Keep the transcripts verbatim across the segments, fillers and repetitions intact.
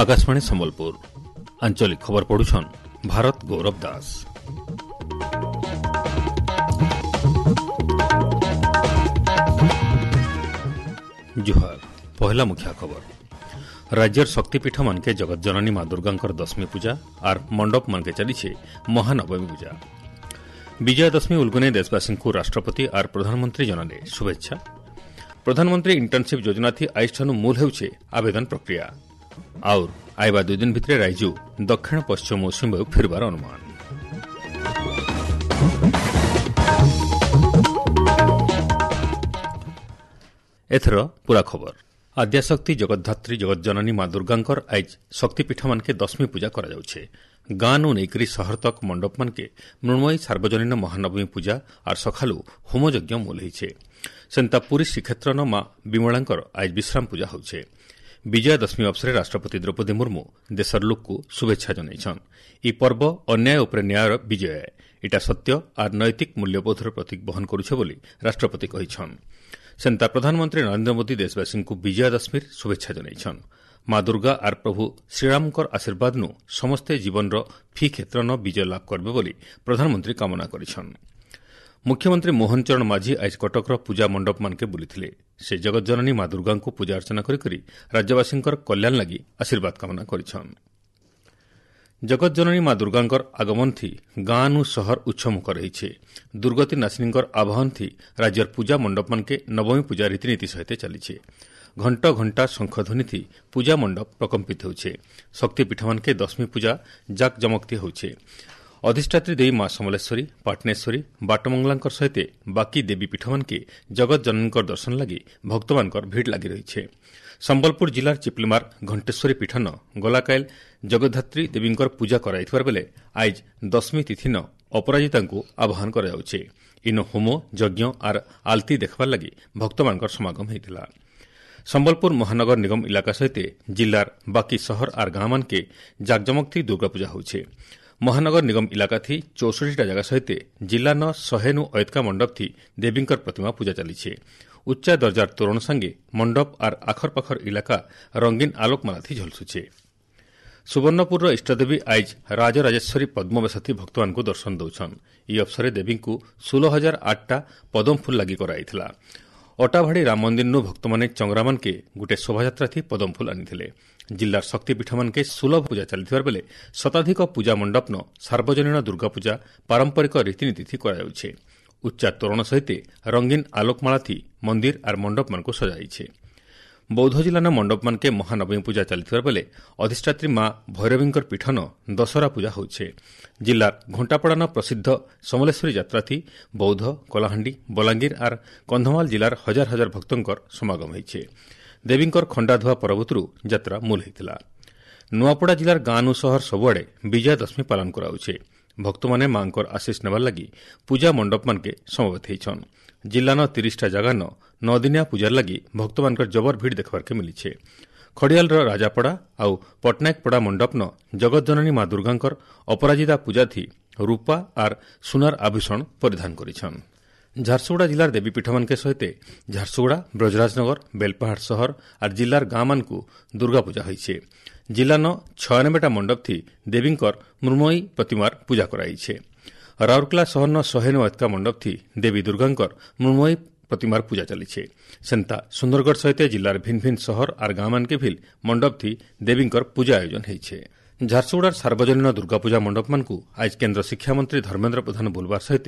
ଆକାଶବାଣୀ ସମ୍ବଲପୁର ଆଞ୍ଚଳିକ ଖବର ପଢୁଛନ୍ ଭାରତ ଗୌରବ ଦାସ। ଜୁହାର। ପହିଲା ମୁଖ୍ୟ ଖବର, ରାଜ୍ୟର ଶକ୍ତିପୀଠ ମାନକେ ଜଗତଜନନୀ ମା ଦୁର୍ଗାଙ୍କର ଦଶମୀ ପୂଜା ଆର୍ ମଣ୍ଡପ ମାନକେ ଚାଲିছে ମହାନବମୀ ପୂଜା। ବିଜୟା ଦଶମୀ ଉଲ୍ଗୁନେ ଦେଶବାସୀଙ୍କୁ ରାଷ୍ଟ୍ରପତି ଆର୍ ପ୍ରଧାନମନ୍ତ୍ରୀ ଜଣାଲେ ଶୁଭେଚ୍ଛା। ପ୍ରଧାନମନ୍ତ୍ରୀ ଇଣ୍ଟର୍ଣ୍ଣସିପ୍ ଯୋଜନା ଥି ଆଇଷ୍ଠାନୁ ମୂଲ ହେଉଛେ ଆବେଦନ ପ୍ରକ୍ରିୟା। ଆଉର୍ ଆଇବା ଦୁଇ ଦିନ ଭିତରେ ରାଇଜୁ ଦକ୍ଷିଣ ପଶ୍ଚିମ ମୌସୁମୀ ବାୟୁ ଫେରିବାର ଅନୁମାନ। ଏଥର ପୁରା ଖବର। ଆଦ୍ୟାଶକ୍ତି ଜଗଦ୍ଧାତ୍ରୀ ଜଗତଜନନୀ ମା ଦୁର୍ଗାଙ୍କର ଆଇଜ୍ ଶକ୍ତିପୀଠମାନକେ ଦଶମୀ ପୂଜା କରାଯାଉଛେ। ଗାଁନୁ ନେଇକରି ସହର ତକ୍ ମଣ୍ଡପମାନକେ ମୃଣ୍ମୟୀ ସାର୍ବଜନୀନ ମହାନବମୀ ପୂଜା ଆର୍ ସକାଳୁ ହୋମଯଜ୍ଞ ମୂଲ ହେଇଛେ। ସେନ୍ତା ପୁରୀ ଶ୍ରୀକ୍ଷେତ୍ରନ ମା ବିମଳାଙ୍କର ଆଇଜ୍ ବିଶ୍ରାମ ପୂଜା ହେଉଛେ। ବିଜୟା ଦଶମୀ ଅବସରରେ ରାଷ୍ଟ୍ରପତି ଦ୍ରୌପଦୀ ମୁର୍ମୁ ଦେଶର ଲୋକକୁ ଶୁଭେଚ୍ଛା ଜଣାଇଛନ୍। ଇ ପର୍ବ ଅନ୍ୟାୟ ଉପରେ ନ୍ୟାୟର ବିଜୟ, ଇଟା ସତ୍ୟ ଆର୍ ନୈତିକ ମୂଲ୍ୟବୋଧର ପ୍ରତୀକ ବହନ କରୁଛେ ବୋଲି ରାଷ୍ଟ୍ରପତି କହିଛନ୍। ସେନ୍ତା ପ୍ରଧାନମନ୍ତ୍ରୀ ନରେନ୍ଦ୍ର ମୋଦି ଦେଶବାସୀଙ୍କୁ ବିଜୟା ଦଶମୀର ଶୁଭେଚ୍ଛା ଜଣାଇଛନ୍। ମା ଦୁର୍ଗା ଆର୍ ପ୍ରଭୁ ଶ୍ରୀରାମଙ୍କର ଆଶୀର୍ବାଦନୁ ସମସ୍ତେ ଜୀବନର ଫି କ୍ଷେତ୍ରନ ବିଜୟ ଲାଭ କରିବେ ବୋଲି ପ୍ରଧାନମନ୍ତ୍ରୀ କାମନା କରିଛନ୍। ମୁଖ୍ୟମନ୍ତ୍ରୀ ମୋହନ ଚରଣ ମାଝୀ ଆଜି କଟକର ପୂଜା ମଣ୍ଡପମାନକେ ବୁଲିଥିଲେ। ସେ ଜଗତଜନନୀ ମା ଦୁର୍ଗାଙ୍କୁ ପୂଜା ଅର୍ଚ୍ଚନା କରିକରି ରାଜ୍ୟବାସୀଙ୍କର କଲ୍ୟାଣ ଲାଗି ଆଶୀର୍ବାଦ କାମନା କରିଛନ୍। ଜଗତଜନନୀ ମା ଦୁର୍ଗାଙ୍କର ଆଗମନ ଥି ଗାଁନୁ ସହର ଉତ୍ସମୁଖର ରହିଛେ। ଦୁର୍ଗତି ନାଶିନୀଙ୍କର ଆବାହନ ଥି ରାଜ୍ୟର ପୂଜା ମଣ୍ଡପମାନକେ ନବମୀ ପୂଜା ରୀତିନୀତି ସହିତ ଚାଲିଛେ। ଘଣ୍ଟ ଘଣ୍ଟା ଶଙ୍ଖଧ୍ୱନି ଥି ପୂଜା ମଣ୍ଡପ ପ୍ରକମ୍ପିତ ହେଉଛେ। ଶକ୍ତିପୀଠମାନକେ ଦଶମୀ ପୂଜା ଜାକଜମକଥି ହେଉଛେ। ଅଧିଷ୍ଠାତ୍ରୀ ଦେବୀ ମା ସମଲେଶ୍ୱରୀ, ପାଟନେଶ୍ୱରୀ, ବାଟମଙ୍ଗଳାଙ୍କର ସହିତ ବାକି ଦେବୀ ପୀଠମାନକେ ଜଗତଜନନୀଙ୍କର ଦର୍ଶନ ଲାଗି ଭକ୍ତମାନଙ୍କର ଭିଡ଼ ଲାଗି ରହିছে। ସମ୍ବଲପୁର ଜିଲ୍ଲାର ଚିପଲିମାର ଘଣ୍ଟେଶ୍ୱରୀ ପୀଠନ ଗଲାକାଇଲ ଜଗଦ୍ଧାତ୍ରୀ ଦେବୀଙ୍କର ପୂଜା କରାଯାଇଥିବାର ବେଲେ ଆଇଜ୍ ଦଶମୀ ତିଥିନ ଅପରାଜିତାଙ୍କୁ ଆହ୍ୱାନ କରାଯାଉଛେ। ଇନ ହୋମ ଯଜ୍ଞ ଆର୍ ଆଲତି ଦେଖବାର ଲାଗି ଭକ୍ତମାନଙ୍କର ସମାଗମ ହୋଇଥିଲା। ସମ୍ବଲପୁର ମହାନଗର ନିଗମ ଇଲାକା ସହିତ ଜିଲ୍ଲାର ବାକି ସହର ଆର୍ ଗାଁମାନକେ ଜାକଜମକଥି ଦୁର୍ଗାପୂଜା ହେଉଛେ। ମହାନଗର ନିଗମ ଇଲାକା ଥି ଚଉଷଠିଟା ଜାଗା ସହିତ ଜିଲ୍ଲାନ ଶହେନୁ ଅୟତ୍କା ମଣ୍ଡପ ଥି ଦେବୀଙ୍କର ପ୍ରତିମା ପୂଜା ଚାଲିଛେ। ଉଚ୍ଚା ଦର୍ଜାର ତୋରଣ ସାଙ୍ଗେ ମଣ୍ଡପ ଆର୍ ଆଖରପାଖର ଇଲାକା ରଙ୍ଗୀନ ଆଲୋକମାଲା ଥି ଝଲସୁଛେ। ସୁବର୍ଣ୍ଣପୁରର ଇଷ୍ଟଦେବୀ ଆଇଜ୍ ରାଜରାଜେଶ୍ୱରୀ ପଦ୍ମବେଶଥି ଭକ୍ତମାନଙ୍କୁ ଦର୍ଶନ ଦେଉଛନ୍। ଇ ଅବସରରେ ଦେବୀଙ୍କୁ ଷୋହଳ ହଜାର ଆଠଟା ପଦମଫୁଲ ଲାଗି କରାଯାଇଥିଲା। ଅଟାଭାଡ଼ି ରାମ ମନ୍ଦିରନୁ ଭକ୍ତମାନେ ଚଙ୍ଗରାମାନକେ ଗୋଟିଏ ଶୋଭାଯାତ୍ରା ଥି ପଦମଫୁଲ ଆଣିଥିଲେ। ଜିଲ୍ଲାର ଶକ୍ତିପୀଠମାନକେ ସୁଲଭ ପୂଜା ଚାଲିଥିବାର ବେଲେ ଶତାଧିକ ପୂଜା ମଣ୍ଡପନ ସାର୍ବଜନୀନ ଦୁର୍ଗାପୂଜା ପାରମ୍ପରିକ ରୀତିନୀତି କରାଯାଉଛେ। ଉଚ୍ଚା ତୋରଣ ସହିତ ରଙ୍ଗୀନ ଆଲୋକମାଳା ଥି ମନ୍ଦିର ଆର୍ ମଣ୍ଡପମାନଙ୍କୁ ସଜାଇଛେ। ବୌଦ୍ଧ ଜିଲ୍ଲାନ ମଣ୍ଡପମାନକେ ମହାନବମୀ ପୂଜା ଚାଲିଥିବାର ବେଲେ ଅଧିଷ୍ଠାତ୍ରୀ ମା ଭୈରବୀଙ୍କର ପୀଠନ ଦଶହରା ପୂଜା ହେଉଛେ। ଜିଲ୍ଲାର ଘଣ୍ଟାପଡ଼ାନ ପ୍ରସିଦ୍ଧ ସମଲେଶ୍ୱରୀ ଯାତ୍ରା ଥି ବୌଦ୍ଧ, କଳାହାଣ୍ଡି, ବଲାଙ୍ଗୀର ଆର୍ କନ୍ଧମାଳ ଜିଲ୍ଲାର ହଜାର ହଜାର ଭକ୍ତଙ୍କର ସମାଗମ ହୋଇଛେ। ଦେବୀଙ୍କର ଖଣ୍ଡାଧୁଆ ପରବତରୁ ଯାତ୍ରା ମୂଲ ହୋଇଥିଲା। ନୂଆପଡ଼ା ଜିଲ୍ଲାର ଗାଁନୁ ସହର ସବୁଆଡ଼େ ବିଜୟା ଦଶମୀ ପାଳନ କରାଯାଉଛେ। ଭକ୍ତମାନେ ମାଙ୍କର ଆଶିଷ ନେବାର ଲାଗି ପୂଜା ମଣ୍ଡପମାନକେ ସମବେତ ହେଇଛନ୍। ଜିଲ୍ଲାନ ତିରିଶଟା ଜାଗାନ ନଅଦିନିଆ ପୂଜାର ଲାଗି ଭକ୍ତମାନଙ୍କର ଜବର ଭିଡ଼ ଦେଖବାର୍କେ ମିଲିଛେ। ଖଡ଼ିଆଲର ରାଜାପଡ଼ା ଆଉ ପଟ୍ଟନାୟକପଡ଼ା ମଣ୍ଡପନ ଜଗତଜନନୀ ମା ଦୁର୍ଗାଙ୍କର ଅପରାଜିତା ପୂଜାଥି ରୂପା ଆର୍ ସୁନାର ଆଭୂଷଣ ପରିଧାନ କରିଛନ୍। ଝାରସୁଗୁଡ଼ା ଜିଲ୍ଲାର ଦେବୀପୀଠମାନକେ ସହିତ ଝାରସୁଗୁଡ଼ା, ବ୍ରଜରାଜନଗର, ବେଲପାହାଡ଼ ସହର ଆର୍ ଜିଲ୍ଲାର ଗାଁମାନଙ୍କୁ ଦୁର୍ଗାପୂଜା ହୋଇଛେ। ଜିଲ୍ଲାନ ଛୟାନବେଟା ମଣ୍ଡପ ଥି ଦେବୀଙ୍କର ମୃଣ୍ମୟୀ ପ୍ରତିମାର ପୂଜା କରାଯାଇଛେ। ରାଉରକେଲା ସହରନ ଶହେ ନଅ ଏତକା ମଣ୍ଡପ ଥି ଦେବୀ ଦୁର୍ଗାଙ୍କର ମୃଣ୍ମୟୀ ପ୍ରତିମାର ପୂଜା ଚାଲିଛେ। ସେନ୍ତା ସୁନ୍ଦରଗଡ଼ ସହିତ ଜିଲ୍ଲାର ଭିନ୍ ଭିନ୍ ସହର ଆର୍ ଗାଁମାନକେ ଭିଲ୍ ମଣ୍ଡପ ଥି ଦେବୀଙ୍କର ପୂଜା ଆୟୋଜନ ହେଇଛେ। ଝାରସୁଗୁଡ଼ାର ସାର୍ବଜନୀନ ଦୁର୍ଗାପୂଜା ମଣ୍ଡପମାନଙ୍କୁ ଆଜ କେନ୍ଦ୍ର ଶିକ୍ଷାମନ୍ତ୍ରୀ ଧର୍ମେନ୍ଦ୍ର ପ୍ରଧାନ ବୁଲବାର ସହିତ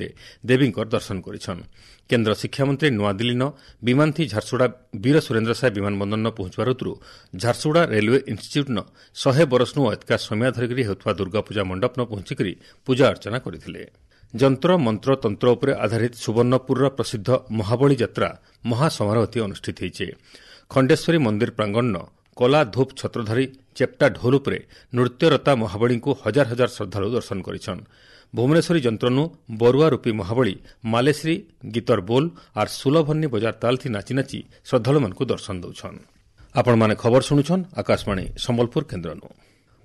ଦେବୀଙ୍କର ଦର୍ଶନ କରିଛନ୍। କେନ୍ଦ୍ର ଶିକ୍ଷାମନ୍ତ୍ରୀ ନୂଆଦିଲ୍ଲୀନ ବିମାନଥି ଝାରସୁଗୁଡ଼ା ବୀର ସୁରେନ୍ଦ୍ର ସାଏ ବିମାନ ବନ୍ଦରନ ପହଞ୍ଚିବାର ଉତରୁ ଝାରସୁଗୁଡ଼ା ରେଲୱେ ଇନ୍ଷ୍ଟିଚ୍ୟୁଟ୍ନ ଶହେ ବରଷନୁ ଅଏତକା ସମୟ ଧରିକରି ହେଉଥିବା ଦୁର୍ଗାପୂଜା ମଣ୍ଡପନ ପହଞ୍ଚିକରି ପୂଜା ଅର୍ଚ୍ଚନା କରିଥିଲେ। ଯନ୍ତ୍ର ମନ୍ତ୍ର ତନ୍ତ୍ର ଉପରେ ଆଧାରିତ ସୁବର୍ଣ୍ଣପୁରର ପ୍ରସିଦ୍ଧ ମହାବଳୀ ଯାତ୍ରା ମହାସମାରୋହଥି ଅନୁଷ୍ଠିତ ହୋଇছে। ଖଣ୍ଡେଶ୍ୱରୀ ମନ୍ଦିର ପ୍ରାଙ୍ଗଣନ କଲା ଧୂପ ଛତ୍ରଧାରୀ ଚେପ୍ଟା ଢୋଲ ଉପରେ ନୃତ୍ୟରତା ମହାବଳୀଙ୍କୁ ହଜାର ହଜାର ଶ୍ରଦ୍ଧାଳୁ ଦର୍ଶନ କରିଛନ୍। ଭୁବନେଶ୍ୱରୀ ଯନ୍ତ୍ରନୁ ବରୁଆ ରୂପୀ ମହାବଳୀ ମାଲେଶ୍ରୀ ଗୀତର ବୋଲ ଆର୍ ସୁଲଭନ୍ନି ବଜାର ତାଲଥି ନାଚି ନାଚି ଶ୍ରଦ୍ଧାଳୁମାନଙ୍କୁ ଦର୍ଶନ ଦେଉଛନ୍। ଆପଣମାନେ ଖବର ଶୁଣୁଛନ୍ ଆକାଶବାଣୀ ସମ୍ବଲପୁର କେନ୍ଦ୍ରନୁ।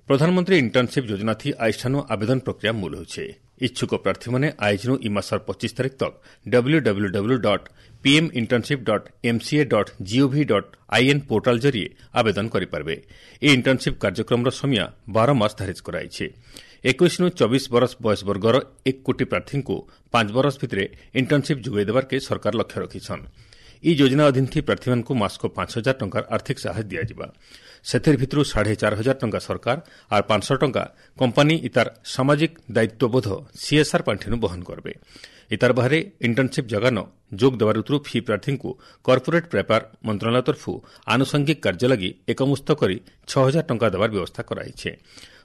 ପ୍ରଧାନମନ୍ତ୍ରୀ ଇଣ୍ଟର୍ଣ୍ଣସିପ୍ ଯୋଜନା ଥି ଆଇଷ୍ଠାନୁ ଆବେଦନ ପ୍ରକ୍ରିୟା ମୂଲ ହେଉଛେ। ଇଚ୍ଛୁକ ପ୍ରାର୍ଥୀମାନେ ଆଇଜ୍ନୁ ଇ ମାସର ପଚିଶ ତାରିଖ ତକ୍ W W W dot PM internship dot MCA dot GOV dot IN portal ଜରିଏ ଆବେଦନ କରିପାରିବେ। ଏହି ଇଣ୍ଟର୍ଣ୍ଣସିପ୍ କାର୍ଯ୍ୟକ୍ରମର ସମୟ ବାର ମାସ ଧାର୍ଯ୍ୟ କରାଯାଇଛି। ଏକୋଇଶରୁ ଚବିଶ ବରଷ ବୟସ ବର୍ଗର ଏକ କୋଟି ପ୍ରାର୍ଥୀଙ୍କୁ ପାଞ୍ଚ ବରଷ ଭିତରେ ଇଣ୍ଟର୍ଣ୍ଣସିପ୍ ଯୋଗାଇ ଦେବାର୍କେ ସରକାର ଲକ୍ଷ୍ୟ ରଖିଛନ୍। ଇ ଯୋଜନା ଅଧୀନ ଥି ପ୍ରାର୍ଥୀମାନଙ୍କୁ ମାସକୁ ପାଞ୍ଚ ହଜାର ଟଙ୍କାର ଆର୍ଥିକ ସାହାଯ୍ୟ ଦିଆଯିବା। ସେଥିର ଭିତରୁ ସାଢ଼େ ଚାରି ହଜାର ଟଙ୍କା ସରକାର ଆର୍ ପାଞ୍ଚଶହ ଟଙ୍କା କମ୍ପାନୀ ଇତାର ସାମାଜିକ ଦାୟିତ୍ୱବୋଧ ସିଏସ୍ଆର୍ ପାଣ୍ଠିନୁ ବହନ କରବେ। ଇତାର ବାହାରେ ଇଣ୍ଟର୍ଣ୍ଣସିପ୍ ଜାଗାନ ଯୋଗ ଦେବାର ଉତରୁ ଫି ପ୍ରାର୍ଥୀଙ୍କୁ କର୍ପୋରେଟ୍ ବ୍ୟାପାର ମନ୍ତ୍ରଣାଳୟ ତରଫରୁ ଆନୁଷଙ୍ଗିକ କାର୍ଯ୍ୟ ଲାଗି ଏକମୁସ୍ତ କରି ଛଅ ହଜାର ଟଙ୍କା ଦେବାର ବ୍ୟବସ୍ଥା କରାଯାଇଛି।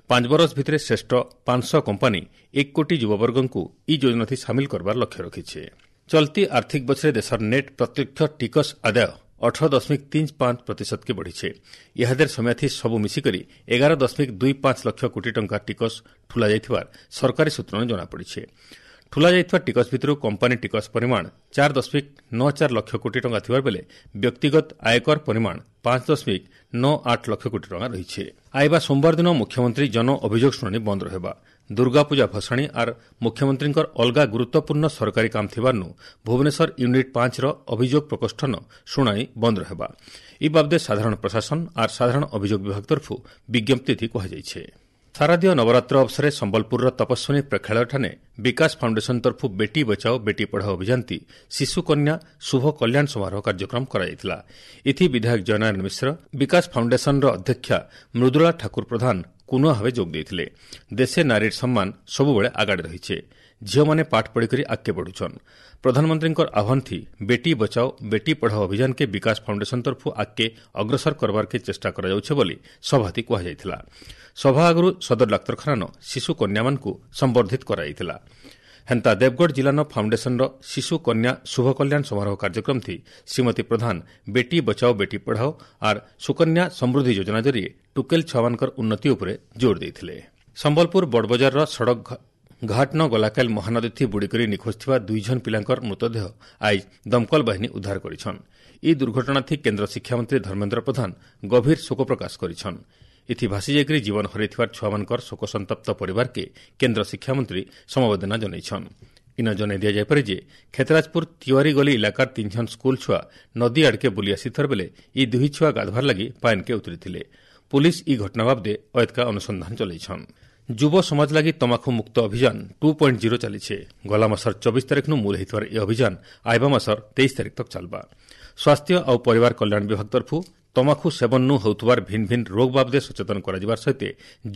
ପାଞ୍ଚ ବରଷ ଭିତରେ ଶ୍ରେଷ୍ଠ ପାଞ୍ଚଶହ କମ୍ପାନୀ ଏକ କୋଟି ଯୁବବର୍ଗଙ୍କୁ ଇ ଯୋଜନାଥି ସାମିଲ କରବାର ଲକ୍ଷ୍ୟ ରଖିছে। ଚଲତି ଆର୍ଥିକ ବଛରେ ଦେଶର ନେଟ୍ ପ୍ରତ୍ୟକ୍ଷ ଟିକସ ଆଦାୟ ଅଠର ଦଶମିକ ତିନି ପାଞ୍ଚ ପ୍ରତିଶତକେ ବଢ଼ିছে। ଇହାଦେର ସମୟାଥି ସବୁ ମିଶିକରି ଏଗାର ଦଶମିକ ଦୁଇ ପାଞ୍ଚ ଲକ୍ଷ କୋଟି ଟଙ୍କା ଟିକସ ଠୁଲା ଯାଇଥିବାର ସରକାରୀ ସୂତ୍ରରୁ ଜଣାପଡ଼ିছে। ଠୁଲା ଯାଇଥିବା ଟିକସ ଭିତରୁ କମ୍ପାନୀ ଟିକସ ପରିମାଣ ଚାରି ଦଶମିକ ନଅ ଚାରି ଲକ୍ଷ କୋଟି ଟଙ୍କା ଥିବା ବେଳେ ବ୍ୟକ୍ତିଗତ ଆୟକର ପରିମାଣ ପାଞ୍ଚ ଦଶମିକ ନଅ ଆଠ ଲକ୍ଷ କୋଟି ଟଙ୍କା ରହିଛି। ଆଇବା ସୋମବାର ଦିନ ମୁଖ୍ୟମନ୍ତ୍ରୀ ଜନ ଅଭିଯୋଗ ଶୁଣାଣି ବନ୍ଦ ରହିବା। ଦୁର୍ଗାପୂଜା ଭସାଣି ଆର୍ ମୁଖ୍ୟମନ୍ତ୍ରୀଙ୍କର ଅଲଗା ଗୁରୁତ୍ୱପୂର୍ଣ୍ଣ ସରକାରୀ କାମ ଥିବାରୁ ଭୁବନେଶ୍ୱର ୟୁନିଟ୍ ପାଞ୍ଚର ଅଭିଯୋଗ ପ୍ରକୋଷ୍ଠନ ଶୁଣାଣି ବନ୍ଦ ରହିବା। ଇ ବାବଦେ ସାଧାରଣ ପ୍ରଶାସନ ଆର୍ ସାଧାରଣ ଅଭିଯୋଗ ବିଭାଗ ତରଫରୁ ବିଜ୍ଞପ୍ତି କୁହାଯାଇଛି। ଶାରଦୀୟ ନବରାତ୍ର ଅବସରରେ ସମ୍ବଲପୁରର ତପସ୍ୱିନୀ ପ୍ରେକ୍ଷାଳୟଠାରେ ବିକାଶ ଫାଉଣ୍ଡେସନ ତରଫରୁ ବେଟି ବଚାଓ ବେଟି ପଢ଼ାଓ ଅଭିଯାନତି ଶିଶୁକନ୍ୟା ଶୁଭ କଲ୍ୟାଣ ସମାରୋହ କାର୍ଯ୍ୟକ୍ରମ କରାଯାଇଥିଲା। ଏଥି ବିଧାୟକ ଜୟନାରାୟଣ ମିଶ୍ର, ବିକାଶ ଫାଉଣ୍ଡେସନର ଅଧ୍ୟକ୍ଷା ମୃଦୁଳା ଠାକୁର ପ୍ରଧାନ କୁନୁଆ ଭାବେ ଯୋଗ ଦେଇଥିଲେ। ଦେଶେ ନାରୀର ସମ୍ମାନ ସବୁବେଳେ ଆଗାଡ଼େ ରହିছে। ଝିଅମାନେ ପାଠ ପଢ଼ିକରି ଆଗକେ ବଢ଼ୁଛନ୍। ପ୍ରଧାନମନ୍ତ୍ରୀଙ୍କର ଆହ୍ୱାନ ଥି ବେଟି ବଚାଓ ବେଟି ପଢ଼ାଓ ଅଭିଯାନକେ ବିକାଶ ଫାଉଣ୍ଡେସନ ତରଫରୁ ଆଗକେ ଅଗ୍ରସର କରବାରକେ ଚେଷ୍ଟା କରାଯାଉଛେ ବୋଲି ସଭାତି କୁହାଯାଇଥିଲା। ସଭା ଆଗରୁ ସଦର ଡାକ୍ତରଖାନାନ ଶିଶୁ କନ୍ୟାମାନଙ୍କୁ ସମ୍ବର୍ଦ୍ଧିତ କରାଯାଇଥିଲା। ହେନ୍ତା ଦେବଗଡ଼ ଜିଲ୍ଲାନ ଫାଉଣ୍ଡେସନର ଶିଶୁ କନ୍ୟା ଶୁଭ କଲ୍ୟାଣ ସମାରୋହ କାର୍ଯ୍ୟକ୍ରମ ଥି ଶ୍ରୀମତୀ ପ୍ରଧାନ ବେଟି ବଚାଓ ବେଟି ପଢ଼ାଓ ଆର୍ ସୁକନ୍ୟା ସମୃଦ୍ଧି ଯୋଜନା ଜରିଏ ଟୁକେଲ ଛୁଆମାନଙ୍କର ଉନ୍ନତି ଉପରେ ଜୋର ଦେଇଥିଲେ। ସମ୍ବଲପୁର ବଡ଼ବଜାରର ସଡ଼କ ଘାଟନ ଗଲାକାଲ ମହାନଦୀଥି ବୁଡ଼ିକରି ନିଖୋଜ ଥିବା ଦୁଇ ଜଣ ପିଲାଙ୍କର ମୃତଦେହ ଆଇଜ ଦମକଳ ବାହିନୀ ଉଦ୍ଧାର କରିଛନ୍। ଇ ଦୁର୍ଘଟଣାଥି କେନ୍ଦ୍ର ଶିକ୍ଷାମନ୍ତ୍ରୀ ଧର୍ମେନ୍ଦ୍ର ପ୍ରଧାନ ଗଭୀର ଶୋକ ପ୍ରକାଶ କରିଛନ୍। ଏଥି ଭାସି ଯାଇକରି ଜୀବନ ହରାଇଥିବାର ଛୁଆମାନଙ୍କର ଶୋକସନ୍ତପ୍ତ ପରିବାରକେ କେନ୍ଦ୍ର ଶିକ୍ଷାମନ୍ତ୍ରୀ ସମବେଦନା ଜଣାଇଛନ୍। ଇନ ଜଣାଇ ଦିଆଯାଇପାରେ ଯେ ଖେତରାଜପୁର ତିୱାରୀ ଗଲି ଇଲାକାର ତିନି ଜଣ ସ୍କୁଲ ଛୁଆ ନଦୀ ଆଡ଼କେ ବୁଲି ଆସିଥିବାର ବେଲେ ଇ ଦୁହି ଛୁଆ ଗାଧବାର ଲାଗି ପାଏନ୍କେ ଉତରିଥିଲେ। ପୁଲିସ୍ ଇ ଘଟଣା ବାବଦେ ଅୟତ୍କା ଅନୁସନ୍ଧାନ ଚଲାଇଛନ୍। ଯୁବ ସମାଜ ଲାଗି ତମାଖୁ ମୁକ୍ତ ଅଭିଯାନ ଟୁ ପଏଣ୍ଟ ଜିରୋ ଚାଲିছে। ଗଲା ମାସର ଚବିଶ ତାରିଖନୁ ମୂଳ ହେଇଥିବାର ଏ ଅଭିଯାନ ଆଇବା ମାସର ତେଇଶ ତାରିଖ ତକ୍ ଚାଲବା। ସ୍ୱାସ୍ଥ୍ୟ ଆଉ ପରିବାର କଲ୍ୟାଣ ବିଭାଗ ତରଫରୁ ତମାଖୁ ସେବନନୁ ହେଉଥିବାର ଭିନ୍ନ ଭିନ୍ନ ରୋଗ ବାବଦେ ସଚେତନ କରାଯିବାର ସହିତ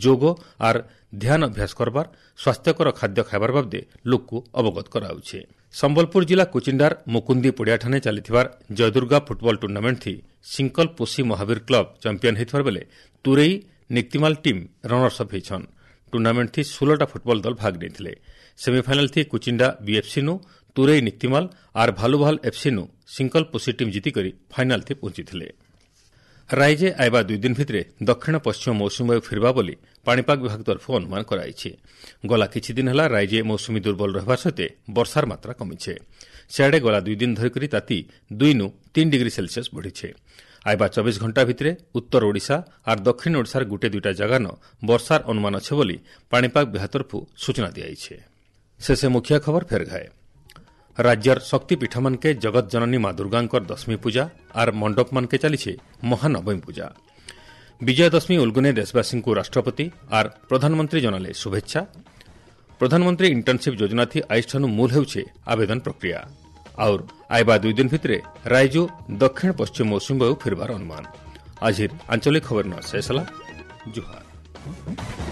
ଯୋଗ ଆର୍ ଧ୍ୟାନ ଅଭ୍ୟାସ କରବାର, ସ୍ୱାସ୍ଥ୍ୟକର ଖାଦ୍ୟ ଖାଇବାର ବାବଦେ ଲୋକକୁ ଅବଗତ କରାଯାଉଛି। ସମ୍ବଲପୁର ଜିଲ୍ଲା କୁଚିଣ୍ଡାର ମୁକୁନ୍ଦି ପଡ଼ିଆଠାନେ ଚାଲିଥିବାର ଜୟଦୁର୍ଗା ଫୁଟବଲ ଟୁର୍ଣ୍ଣାମେଣ୍ଟ ଥି ସିଙ୍କଲ ପୋଷି ମହାବୀର କ୍ଲବ ଚାମ୍ପିୟନ ହେଇଥିବାର ବେଲେ ତୁରେଇ ନିକ୍ତିମାଲ ଟିମ୍ ରନର୍ସ ଅପ୍ ହେଇଛନ୍। ଟୁର୍ଣ୍ଣାମେଣ୍ଟ ଥି ଷୋହଳଟା ଫୁଟବଲ ଦଳ ଭାଗ ନେଇଥିଲେ। ସେମିଫାଇନାଲ ଥି କୁଚିଣ୍ଡା ବିଏଫ୍ସି ନୁ ତୁରେଇ ନିକ୍ତିମାଲ ଆର୍ ଭାଲୁଭାଲ ଏଫ୍ସି ନୁ ସିଙ୍କଲ ପୋଷି ଟିମ୍ ଜିତିକରି ଫାଇନାଲ ଥି ପହଞ୍ଚିଥିଲେ। ରାଇଜେ ଆଇବା ଦୁଇ ଦିନ ଭିତରେ ଦକ୍ଷିଣ ପଶ୍ଚିମ ମୌସୁମୀ ବାୟୁ ଫେରିବା ବୋଲି ପାଣିପାଗ ବିଭାଗ ତରଫରୁ ଅନୁମାନ କରାଯାଇଛି। ଗଲା କିଛି ଦିନ ହେଲା ରାଇଜେ ମୌସୁମୀ ଦୁର୍ବଳ ରହିବା ସହିତ ବର୍ଷାର ମାତ୍ରା କମିছে। ସିଆଡ଼େ ଗଲା ଦୁଇ ଦିନ ଧରିକରି ତାତି ଦୁଇନୁ ତିନି ଡିଗ୍ରୀ ସେଲସିୟସ୍ ବଢ଼ିছে। ଆଇବା ଚବିଶ ଘଣ୍ଟା ଭିତରେ ଉତ୍ତର ଓଡ଼ିଶା ଆର୍ ଦକ୍ଷିଣ ଓଡ଼ିଶାର ଗୋଟିଏ ଦୁଇଟା ଜାଗାନ ବର୍ଷାର ଅନୁମାନ ଅଛି ବୋଲି ପାଣିପାଗ ବିଭାଗ ତରଫରୁ ସୂଚନା ଦିଆଯାଇଛି। ଶେଷେ ମୁଖ୍ୟ ଖବର ଫେର ଘାଏ। ରାଜ୍ୟର ଶକ୍ତିପୀଠମାନକେ ଜଗତ ଜନନୀ ମା ଦୁର୍ଗାଙ୍କର ଦଶମୀ ପୂଜା ଆର୍ ମଣ୍ଡପମାନକେ ଚାଲିছে ମହାନବମୀ ପୂଜା। ବିଜୟାଦଶମୀ ଉଲ୍ଗୁନେ ଦେଶବାସୀଙ୍କୁ ରାଷ୍ଟ୍ରପତି ଆର୍ ପ୍ରଧାନମନ୍ତ୍ରୀ ଜଣାଲେ ଶୁଭେଚ୍ଛା। ପ୍ରଧାନମନ୍ତ୍ରୀ ଇଣ୍ଟର୍ଣ୍ଣସିପ୍ ଯୋଜନାଥି ଆଇଷ୍ଠାନୁ ମୂଲ ହେଉଛେ ଆବେଦନ ପ୍ରକ୍ରିୟା। ଆଉର୍ ଆଇବା ଦୁଇ ଦିନ ଭିତରେ ରାଇଜୁ ଦକ୍ଷିଣ ପଶ୍ଚିମ ମୌସୁମୀ ବାୟୁ ଫେରବାର ଅନୁମାନ। ଆଜିର ଆଞ୍ଚଳିକ ଖବର ଶେଷ ହେଲା। ଜୁହାର।